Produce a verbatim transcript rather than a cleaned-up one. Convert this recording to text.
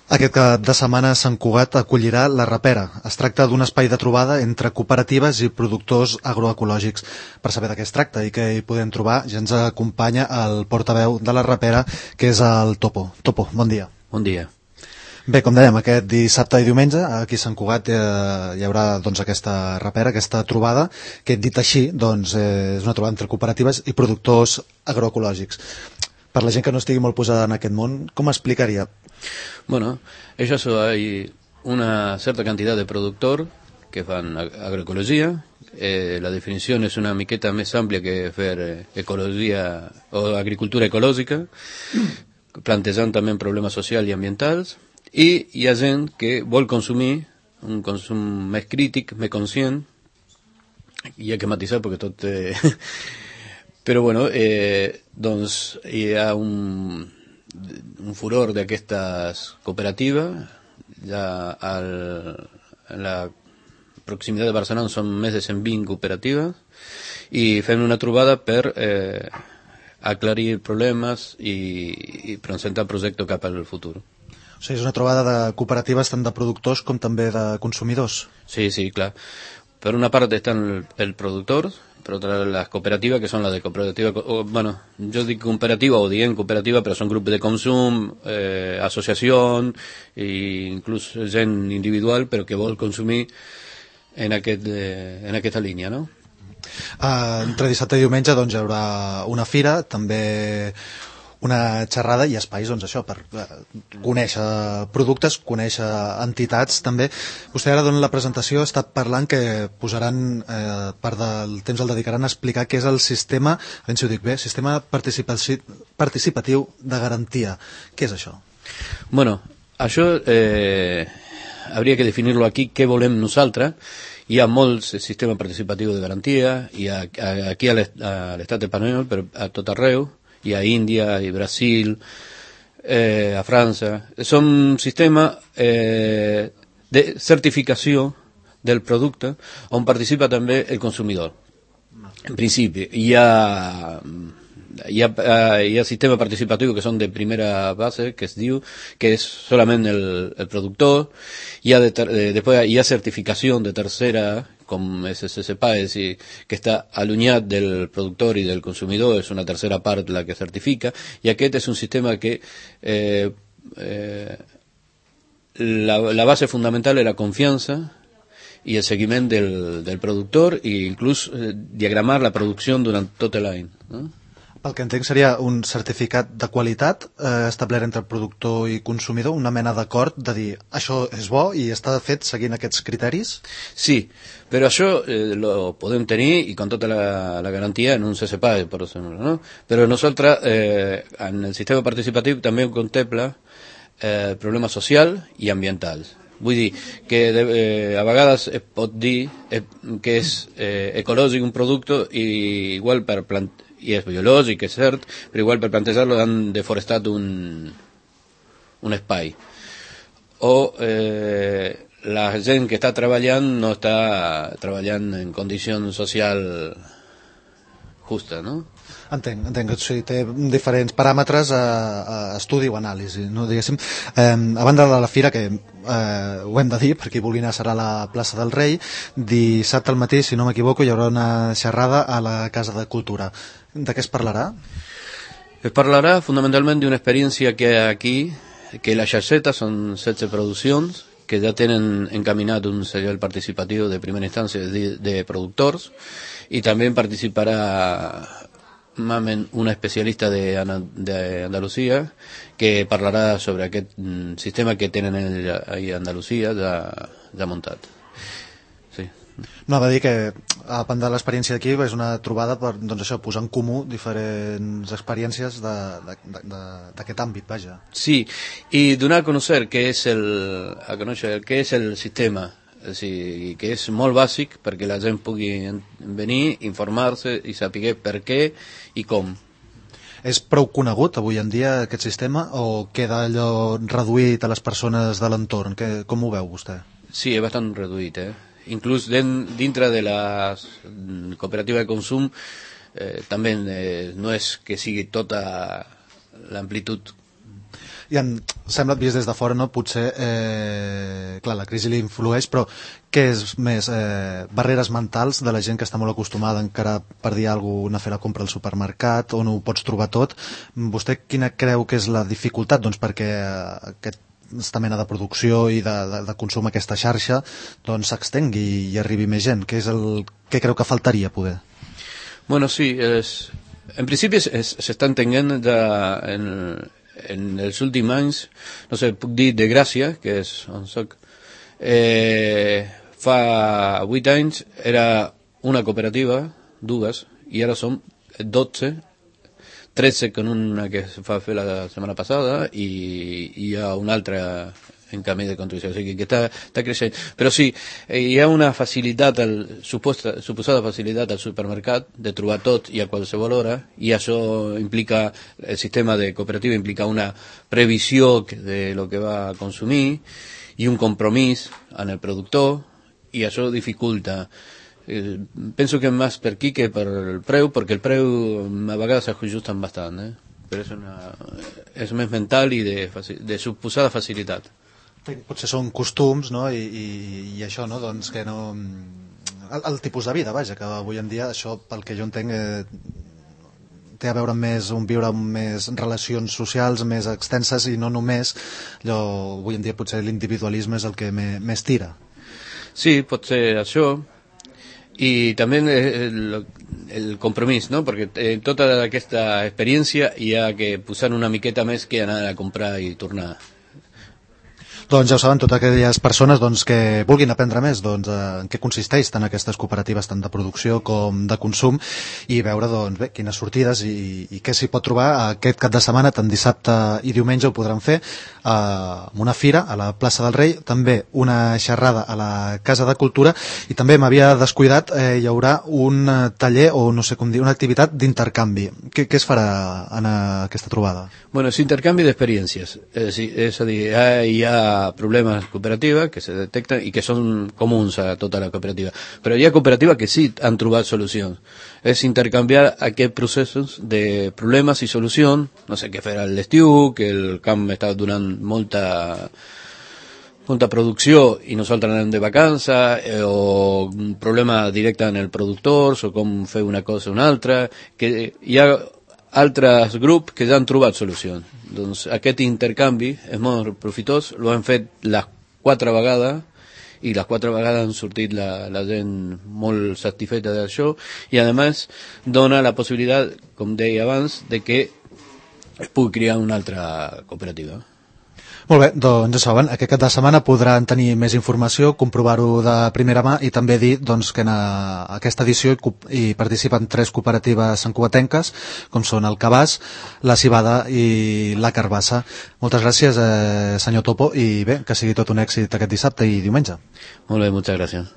Aquest cap de setmana Sant Cugat acollirà la Rapera. Es tracta d'un espai de trobada entre cooperatives i productors agroecològics. Per saber de què es tracta i què hi podem trobar, ja ens acompanya el portaveu de la Rapera, que és el Topo. Topo, bon dia. Bon dia. Bé, com dèiem, aquest dissabte i diumenge aquí a Sant Cugat eh, hi haurà doncs, aquesta rapera, aquesta trobada, que dit així doncs, eh, és una trobada entre cooperatives i productors agroecològics. Per la gent que no estigui molt posada en aquest món, com explicaria? Bueno, ellos hay una cierta cantidad de productores que fan agroecología. Eh, la definición es una miqueta más amplia que hacer eh, ecología o agricultura ecológica, plantean también problemas sociales y ambientales, y hi ha gent que vol consumir un consum més crític, més conscient, i hi ha que matisar perquè tot... Eh, però bueno, eh, doncs hi ha un, un furor d'aquestes cooperatives. Ja al, en la proximitat de Barcelona són més de cent vint cooperatives i fem una trobada per eh, aclarir problemes i, i presentar projectes cap al futur. O sigui, és una trobada de cooperatives tant de productors com també de consumidors. Sí, sí, clar. Per una part estan el, el productor, per otra las cooperativas, que son las de cooperativa, o, bueno, yo digo cooperativa o diem cooperativa, però són grups de consum, eh, associació, e inclús gent individual, però que vol consumir en, aquest, eh, en aquesta línia, no? Uh, entre dissabte i diumenge doncs, hi haurà una fira, també una xerrada i espais, doncs això, per uh, conèixer productes, conèixer entitats també. Vostè ara dona la presentació, està parlant que posaran eh, part del temps el dedicaran a explicar què és el sistema, a veure si ho dic bé, sistema participaci participatiu de garantia. Què és això? Bueno, això eh, hauria que definir-lo aquí, què volem nosaltres. Hi ha molts sistemes participatius de garantia, i a, a, aquí a l'estat espanyol, però a tot arreu, i a Índia, i Brasil, eh, a França. Són sistemes eh, de certificació del producte on participa també el consumidor. En principi, hi ha, hi ha, hi ha sistemes participatius que són de primera base, que es diu, que és solament el, el productor. Hi ha de ter, eh, després hi ha certificació de tercera, com és S S P A, és a dir, que està allunyat del productor i del consumidor, és una tercera part la que certifica, i aquest és un sistema que eh, eh, la, la base fundamental és la confiança i el seguiment del, del productor, i inclús eh, diagramar la producció durant tot l'any, no? El que entenc seria un certificat de qualitat eh, establert entre productor i consumidor, una mena d'acord de dir això és bo i està fet seguint aquests criteris? Sí, però això eh, lo podem tenir i con tota la, la garantia en un C S P A, per exemple, no? Però nosaltres eh, en el sistema participatiu també contempla eh, problemes social i ambientals. Vull dir que de, eh, a vegades es pot dir eh, que és eh, ecològic un producte i igual per plantar, i és biològic, és cert, però igual per plantejar-lo han deforestat un, un espai. O eh, la gent que està treballant no està treballant en condició social justa, no? Entenc, entenc que sí, té diferents paràmetres a, a estudi o anàlisi, no? Diguéssim, eh, a banda de la fira, que eh, ho hem de dir, per qui vulgui anar serà a la plaça del Rei, dissabte al matí, si no m'equivoco, hi haurà una xerrada a la Casa de Cultura. De què es parlarà? Es parlarà fundamentalment d'una experiència que hi ha aquí, que la Xarxeta són setze produccions que ja tenen encaminat un serial participatiu de primera instància de, de productors, i també participarà una especialista de, de Andalusia que parlarà sobre aquest sistema que tenen ahí a Andalusia ja, ja muntat. Sí. No, va dir que a banda de l'experiència d'aquí és una trobada per doncs això, posar en comú diferents experiències d'aquest àmbit, vaja. Sí, i donar a conèixer què és el, a conèixer què és el sistema, és dir, que és molt bàsic perquè la gent pugui venir, informar-se i saber per què i com. És prou conegut avui en dia aquest sistema o queda allò reduït a les persones de l'entorn? Com ho veu vostè? Sí, és bastant reduït, eh? Inclús dintre de la cooperativa de consum eh, també eh, no és que sigui tota l'amplitud I em sembla, vist des de fora, no? Potser, eh, clar, la crisi li influeix, però què és més? Eh, barreres mentals de la gent que està molt acostumada encara per dir alguna cosa, anar a fer la compra al supermercat, on ho pots trobar tot. Vostè quina creu que és la dificultat? Doncs perquè aquest aquesta mena de producció i de, de, de consum, aquesta xarxa, doncs s'extengui i arribi més gent. Què és el que creu que faltaria poder? Bueno, sí, es, en principi es, es, s'està entenent de, en, en els últims anys, no sé, puc dir de Gràcia, que és on soc, eh, fa vuit anys era una cooperativa, dues, i ara som dotze, tretze con una que se va a fer la setmana passada i hi ha una altra en camí de construcció, o sigui que està, està creixent. Però sí, hi ha una facilitat, al, suposta, suposada facilitat al supermercat de trobar tot i a qualsevol hora, i això implica, el sistema de cooperativa implica una previsió de lo que va a consumir i un compromís en el productor, i això dificulta. Eh, penso que més per aquí que per el preu, perquè el preu a vegades s'ajusten bastant, eh? Però és, una, és més mental i de, de suposada facilitat. Potser són costums, no? I, i, i això, no? Doncs que no... El, el tipus de vida, vaja, que avui en dia això, pel que jo entenc, eh, té a veure amb més, un viure amb més relacions socials més extenses i no només allò, avui en dia potser l'individualisme és el que me, més tira. Sí, pot ser això. I també el, el compromís, no? Perquè en tota aquesta experiència hi ha que posar una miqueta més que anar a comprar i tornar. Doncs ja ho saben, totes aquelles persones doncs, que vulguin aprendre més doncs, en què consisteix tant aquestes cooperatives tant de producció com de consum i veure doncs, bé, quines sortides i, i què s'hi pot trobar aquest cap de setmana, tant dissabte i diumenge ho podran fer eh, amb una fira a la plaça del Rei, també una xerrada a la Casa de Cultura i també m'havia descuidat, eh, hi haurà un taller o no sé com dir, una activitat d'intercanvi. Què, què es farà en aquesta trobada? Bueno, es intercanvi d'experiències, és, és a dir, hi ha problemes cooperativas que se detectan y que son comuns a tota la cooperativa. Pero hay cooperativas que sí han trobat solución. Es intercanviar aquests processos de problemes i solució. No sé què fer a l'estiu, que el camp està donant molta molta producció i nosaltres anem de vacanza, eh, o un problema directe en el productor, o com fer una cosa o una altra, que hi ha altres grups que ja han trobat solució. Doncs aquest intercanvi és molt profitós, lo han fet les quatre vegades i les quatre vegades han sortit la, la gent molt satisfeta d'això i a més dona la possibilitat, com deia abans, de que es pugui crear una altra cooperativa. Molt bé, doncs ja saben, aquest cap de setmana podran tenir més informació, comprovar-ho de primera mà i també dir doncs, que en aquesta edició hi, hi participen tres cooperatives santcugatenques, com són el Cabàs, la Civada i la Carbassa. Moltes gràcies, eh, senyor Topo, i bé, que sigui tot un èxit aquest dissabte i diumenge. Molt bé, moltes gràcies.